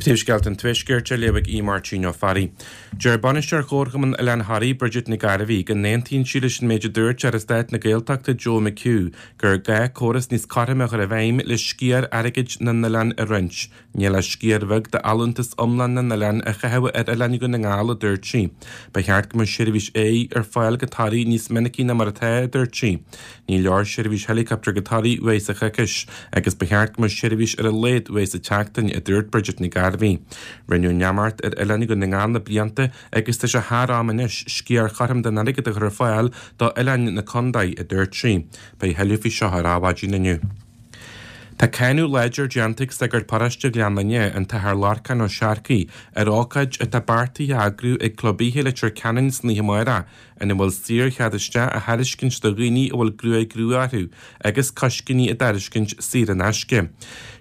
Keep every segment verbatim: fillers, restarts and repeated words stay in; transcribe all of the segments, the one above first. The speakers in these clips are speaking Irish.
Príomhscéalta an Tuaiscirt á léamh ag Aodh Máirtín Ó Fearraigh. Deir bainisteoir Chomharchumann Oileán Thoraí Bridget Nic Gairbhí go n-aontaíonn sí leis an méid a dúirt Aire Stáit na Gaeltachta Joe McHugh gur gá córas níos cothroime a chur i bhfeidhm le sciar airgid na n-oileán a roinnt. Níl ach sciar bheag d'fholúntas iomlán na n-oileán a chaitheamh ar oileáin Dhún na nGall, a dúirt sí. Ba cheart go mbeadh seirbhís aeir ar fáil go Toraigh níos minicí ná mar atá, a dúirt sí. Ní leor seirbhís helicopter go Toraigh uair sa choicís, agus ba cheart go mbeadh seirbhís ar a laghad uair sa tseachtain, a dúirt Bridget Nic Gairbhí. Rinneadh neamart ar oileáin Dhún na nGall na blianta agus tá sé thar am anois sciar chothrom den airgead a chur ar fáil do oileáin na contae, a dúirt sí. Beidh tuilleadh faoi seo ar Adhmhaidin inniu. Tá cáineadh láidir déanta ag sagart paróiste Ghleann Fhinne, an tAthair Lorcán Ó Searcaigh, ar ócáid atá beartaithe a eagrú ag Club Oíche Leitir Ceanainn san oíche amárach, ina bhfuil saorchead isteach á thairiscint do dhaoine a bhfuil gruaig rua orthu agus coiscíní á dtairiscint saor in aisce.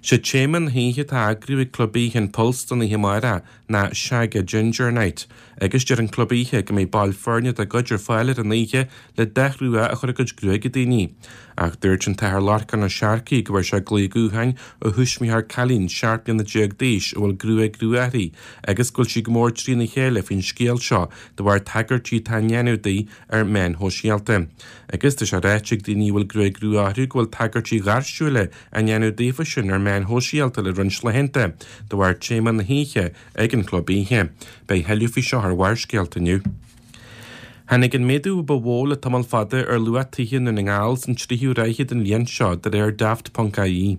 Sé téama na hoíche atá á eagrú ag Club Oíche an Pulse don oíche amárach ná Shag a Ginger Night, agus deir an club oíche go mbeidh baill foirne dá gcuid ar fáil ar an oíche le dath rua a chur ar a gcuid gruaige daoine. Ach dúirt an tAthair Lorcán Ó Searcaigh go bhfuair sé glao gutháin ó thuismitheoir cailín seacht mbliana déag d'aois a bhfuil gruaig rua uirthi agus go bhfuil sí go mór trína chéile faoin scéal seo de bharr tagairtí atá á ndéanamh di ar meáin shóisialta. Agus tá sé ráite ag daoine a bhfuil gruaig rua orthu go bhfuil tagairtí gairsiúla á ndéanamh daofa sin ar meáin shóisialta le roinnt laethanta de bharr téama na hoíche ag an chlub oíche. Beidh tuilleadh faoi seo ar Bharrscéalta inniu. Tháinig an méadú ba mhó le tamall fada ar luach tithe i nDún na nGall san tríú ráithe den bhliain seo de réir Daft.ie.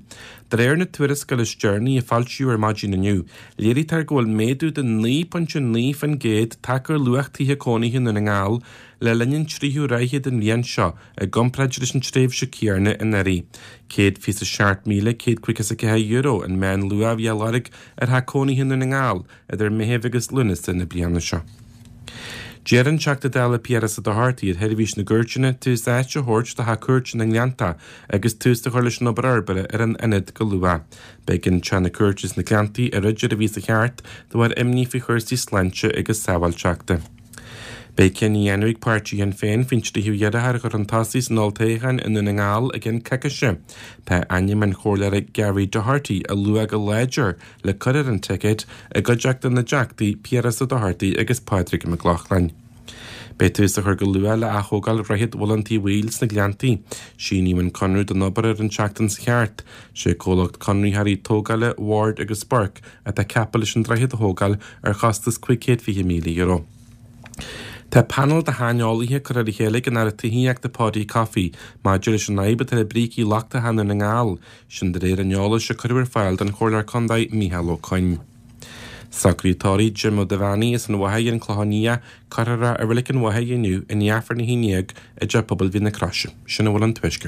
De réir na tuarascála is deireanaí a foilsíodh ar maidin inniu, léirítear go bhfuil méadú de naoi pointe naoi faoin gcéad tagtha ar luach tithe cónaithe i Ndún na nGall le linn an tríú ráithe den bhliain seo i gcomparáid leis an tréimhse chéanna anuraidh. Céad fiche seacht míle céad caoga is a ceathair euro an meánluach a bhí á lorg ar theach cónaithe i Ndún na Ngall idir Meitheamh agus Lúnasa na bliana seo. Deir an Teachta Dála Piaras Ó Dochartaigh ar sheirbhís na gcúirteanna tús áite a thabhairt do theach cúirte na nGleannta agus tús a chur leis an obair fhorbartha ar an ionad go luath. B'éigean teach na cúirte sna Gleanntaí a dhruid ar an mhí seo cheart de bharr imní faoi chúrsaí sláinte agus sábháilteachta. Beidh cinneadh á dhéanamh ag páirtí Shinn Féin faoin tríú iarrthóir a chur chun tosaigh san olltoghchán i nDún na nGall i gceann coicíse. Tá ainm an chomhairleora Gary Doherty á lua go láidir le cur ar an ticéad i gcuideachta na dTeachtaí Piaras Ó Dochartaigh agus Pádraig Mac Lochlainn. Beidh tús á chur go luath le athógáil Dhroichead Mhuileann Tí Bhaoill sna Gleanntaí. Síníodh an conradh don obair ar an tseachtain seo cheart. Sé comhlacht conraitheoirí tógála Ward agus Burke atá ceaptha leis an droichead a thógáil ar chostas cúig chéad fiche míle euro. Tá panel de shaineolaithe curtha le chéile ag an Aire Tithíochta Paudie Coffey maidir leis an fhadhb atá le brící lochtacha i Ndún na nGall, sin de réir an eolais a cuireadh ar fáil don Chomhairleoir Contae Micheál Ó Coinn. Socraid tórraimh Jim Ó Duibheannaigh as an Mhachaire an Clochán Liath cuirfear i Reilig an Mhachaire inniu i ndiaidh Aifreann a haon déag i dTeach Pobail Mhín na Croise. Sin a bhfuil ón Tuaisceart.